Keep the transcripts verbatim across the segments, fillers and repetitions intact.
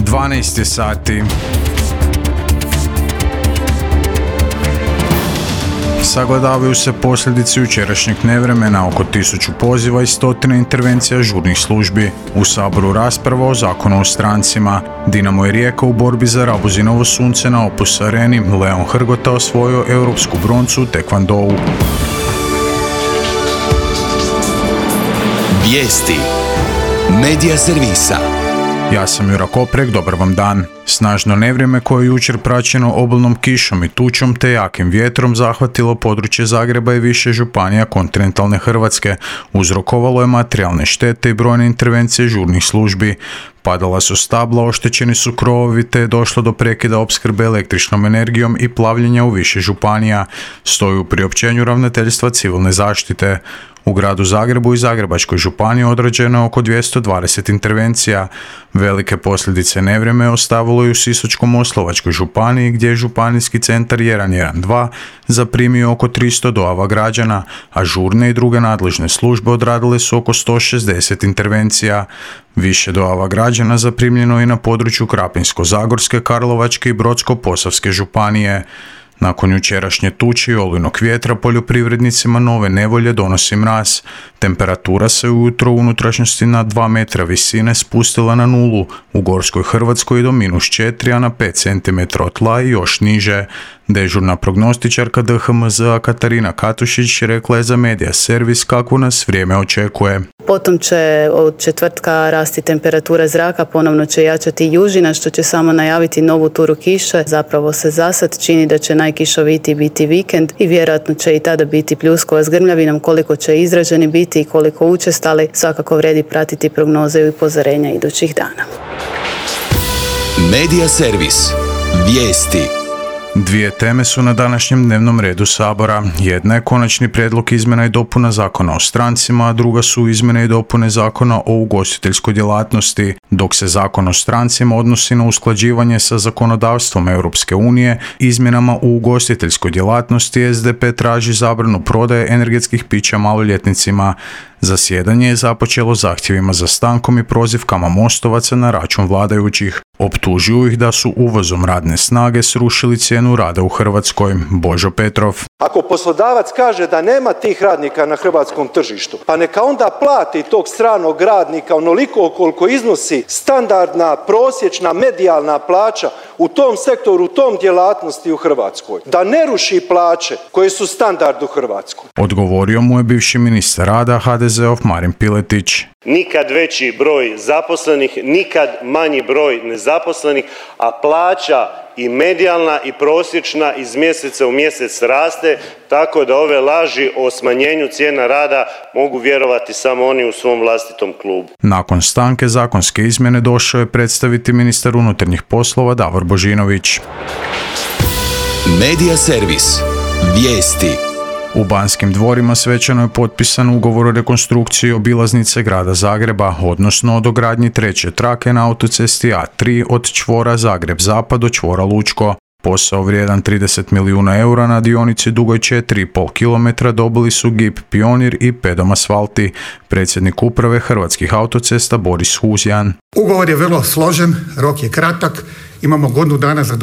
dvanaest je sati. Sagledavaju se posljedice jučerašnjeg nevremena, oko tisuću poziva i stotine intervencija žurnih službi. U Saboru rasprava o zakonu o strancima. Dinamo je Rijeka u borbi za Rabuzinovo sunce na Opus Areni. Leon Hrgota osvojio europsku broncu u tekvandou. Vijesti Medija servisa. Ja sam Jura Koprek, dobar vam dan. Snažno nevrijeme koje je jučer praćeno obilnom kišom i tučom te jakim vjetrom zahvatilo područje Zagreba i više županija kontinentalne Hrvatske. Uzrokovalo je materijalne štete i brojne intervencije žurnih službi. Padala su stabla, oštećeni su krovovi te je došlo do prekida opskrbe električnom energijom i plavljenja u više županija, stoji u priopćenju Ravnateljstva civilne zaštite. U gradu Zagrebu i Zagrebačkoj županiji odrađeno je oko dvjesto dvadeset intervencija. Velike posljedice nevrijeme ostavilo i u Sisačko-moslavačkoj županiji gdje je županijski centar jedan jedan dva zaprimio oko tristo dojava građana, a žurne i druge nadležne službe odradile su oko sto šezdeset intervencija. Više dojava građana zaprimljeno i na području Krapinsko-zagorske, Karlovačke i Brodsko-posavske županije. Nakon jučerašnje tuče i olujnog vjetra poljoprivrednicima nove nevolje donosi mraz. Temperatura se ujutro u unutrašnjosti na dva metra visine spustila na nulu, u Gorskoj Hrvatskoj do minus četiri, a na pet centimetara od tla i još niže. Dežurna prognostičarka D H M Z-a Katarina Katušić rekla je za Medija servis kako nas vrijeme očekuje. Potom će od četvrtka rasti temperatura zraka, ponovno će jačati južina što će samo najaviti novu turu kiše. Zapravo se zasad čini da će najkišovitiji biti vikend i vjerojatno će i tada biti pljuskova s grmljavinom. Koliko će izraženi biti i koliko učestali, svakako vredi pratiti prognoze i upozorenja idućih dana. Medija servis. Vijesti. Dvije teme su na današnjem dnevnom redu Sabora. Jedna je konačni prijedlog izmjena i dopuna Zakona o strancima, a druga su izmjene i dopune Zakona o ugostiteljskoj djelatnosti. Dok se Zakon o strancima odnosi na usklađivanje sa zakonodavstvom Europske unije, izmjenama u ugostiteljskoj djelatnosti S D P traži zabranu prodaje energetskih pića maloljetnicima. Zasjedanje je započelo zahtjevima za stankom i prozivkama mostovaca na račun vladajućih. Optužuju ih da su uvozom radne snage srušili cijenu rada u Hrvatskoj. Božo Petrov. Ako poslodavac kaže da nema tih radnika na hrvatskom tržištu, pa neka onda plati tog stranog radnika onoliko koliko iznosi standardna, prosječna, medijalna plaća u tom sektoru, u tom djelatnosti u Hrvatskoj. Da ne ruši plaće koje su standard u Hrvatskoj. Odgovorio mu je bivši ministar rada H D Z-ov Marin Piletić. Nikad veći broj zaposlenih, nikad manji broj nezaposlenih, a plaća i medijalna i prosječna iz mjeseca u mjesec raste, tako da ove laži o smanjenju cijena rada mogu vjerovati samo oni u svom vlastitom klubu. Nakon stanke zakonske izmjene došao je predstaviti ministar unutarnjih poslova Davor Božinović. Medija servis. Vijesti. U Banskim dvorima svečano je potpisan ugovor o rekonstrukciji obilaznice grada Zagreba, odnosno o dogradnji treće trake na autocesti A tri od čvora Zagreb-Zapad do čvora Lučko. Posao vrijedan trideset milijuna eura na dionici dugoj četiri i pol kilometra dobili su G I P Pionir i Pedom Asfalti. Predsjednik uprave Hrvatskih autocesta Boris Huzjan. Ugovor je vrlo složen, rok je kratak, imamo godinu dana za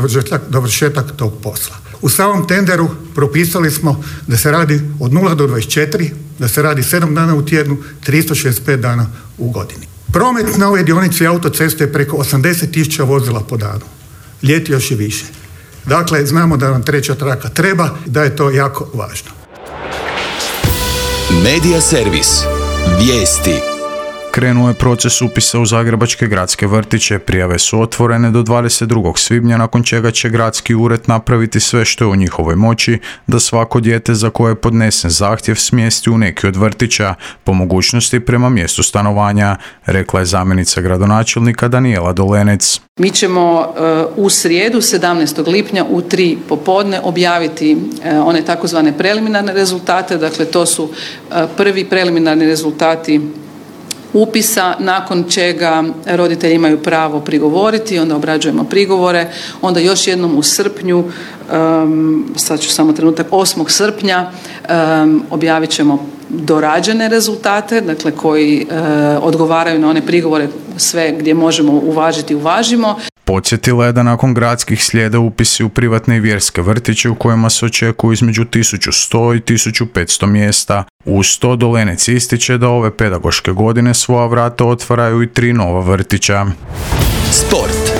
dovršetak tog posla. U samom tenderu propisali smo da se radi od nula do dvadeset četiri, da se radi sedam dana u tjednu, tristo šezdeset pet dana u godini. Promet na ovoj dionici autoceste je preko osamdeset tisuća vozila po danu. Ljeti još i više. Dakle, znamo da nam treća traka treba i da je to jako važno. Medija servis. Vijesti. Krenuo je proces upisa u zagrebačke gradske vrtiće. Prijave su otvorene do dvadeset drugog svibnja, nakon čega će gradski ured napraviti sve što je u njihovoj moći da svako dijete za koje je podnesen zahtjev smjesti u neki od vrtića, po mogućnosti prema mjestu stanovanja, rekla je zamjenica gradonačelnika Danijela Dolenec. Mi ćemo uh, u srijedu sedamnaestog lipnja u tri popodne objaviti uh, one takozvane preliminarne rezultate, dakle to su uh, prvi preliminarni rezultati upisa, nakon čega roditelji imaju pravo prigovoriti, onda obrađujemo prigovore, onda još jednom u srpnju, um, sad ću samo trenutak, osmog srpnja um, objavit ćemo dorađene rezultate, dakle koji uh, odgovaraju na one prigovore, sve gdje možemo uvažiti, uvažimo. Podsjetila je da nakon gradskih slijede upisi u privatne i vjerske vrtiće u kojima se očekuju između tisuću sto i tisuću petsto mjesta. Uz to Dolenec ističe da ove pedagoške godine svoja vrata otvaraju i tri nova vrtića. Sport.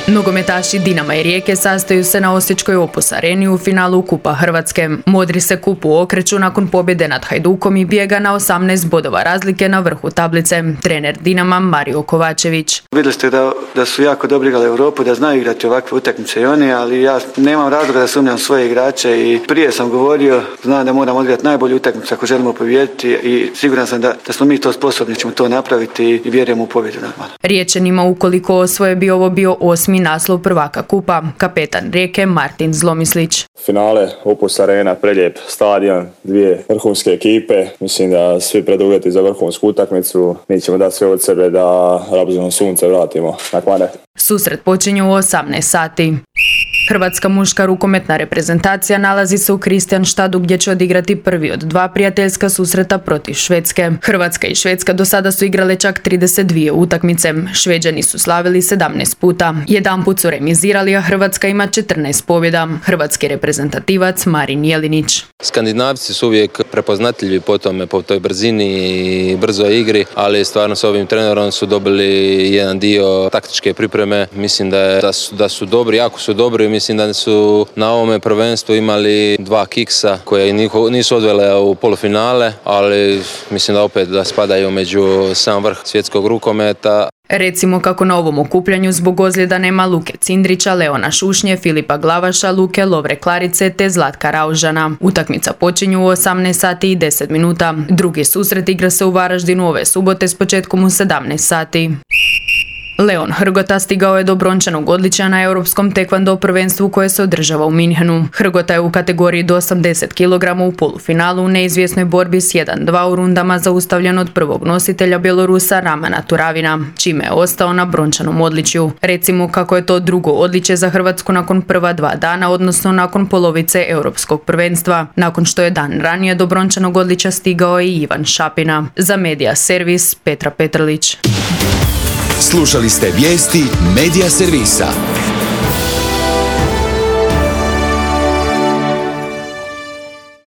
Nogometaši Dinama i Rijeke sastaju se na Osječkoj Opus areni u finalu Kupa Hrvatske. Modri se kupu okreću nakon pobjede nad Hajdukom i bijega na osamnaest bodova razlike na vrhu tablice. Trener Dinama Mario Kovačević. Vidjeli ste da, da su jako dobro igrali Europu, da znaju igrati ovakve utakmice i oni, ali ja nemam razloga da sumnjam svoje igrače i prije sam govorio, znam da moramo odigrati najbolju utakmicu ako želimo pobijediti i siguran sam da, da smo mi to sposobni, ćemo to napraviti i vjerujemo u pobjedu normalno. Riječanima ukoliko osvoje bi ovo bio osmi naslov prvaka Kupa. Kapetan Rijeke Martin Zlomislić. Finale, Opus arena, prelijep stadion, dvije vrhunske ekipe. Mislim da svi preduvjeti za vrhunsku utakmicu. Mi ćemo dati sve od sebe da Rabzino sunce vratimo na Kvarner. Susret počinje u osamnaest sati. Hrvatska muška rukometna reprezentacija nalazi se u Kristianstadu gdje će odigrati prvi od dva prijateljska susreta protiv Švedske. Hrvatska i Švedska do sada su igrale čak trideset dvije utakmice. Šveđani su slavili sedamnaest puta. Jedanput su remizirali, a Hrvatska ima četrnaest pobjeda. Hrvatski reprezentativac Marin Jelinić. Skandinavci su uvijek prepoznatljivi po tome, po toj brzini i brzoj igri, ali stvarno s ovim trenerom su dobili jedan dio taktičke pripreme. Mislim da, je, da, su, da su dobri, jako su dobri. Mislim da su na ovome prvenstvu imali dva kiksa koje nisu odvele u polufinale, ali mislim da opet da spadaju među sam vrh svjetskog rukometa. Recimo kako na ovom okupljanju zbog ozljeda nema Luke Cindrića, Leona Šušnje, Filipa Glavaša, Luke Lovre Klarice te Zlatka Raužana. Utakmica počinju u osamnaest sati i deset minuta. Drugi susret igra se u Varaždinu ove subote s početkom u sedamnaest sati. Leon Hrgota stigao je do brončanog odličja na europskom tekvando prvenstvu koje se održava u Minhenu. Hrgota je u kategoriji do osamdeset kilograma u polufinalu u neizvjesnoj borbi s jedan dva u rundama zaustavljen od prvog nositelja Bjelorusa Ramana Turavina, čime je ostao na brončanom odličju. Recimo kako je to drugo odličje za Hrvatsku nakon prva dva dana, odnosno nakon polovice europskog prvenstva, nakon što je dan ranije do brončanog odličja stigao i Ivan Šapina. Za Medija Servis Petra Petrlić. Slušali ste vijesti Medija servisa.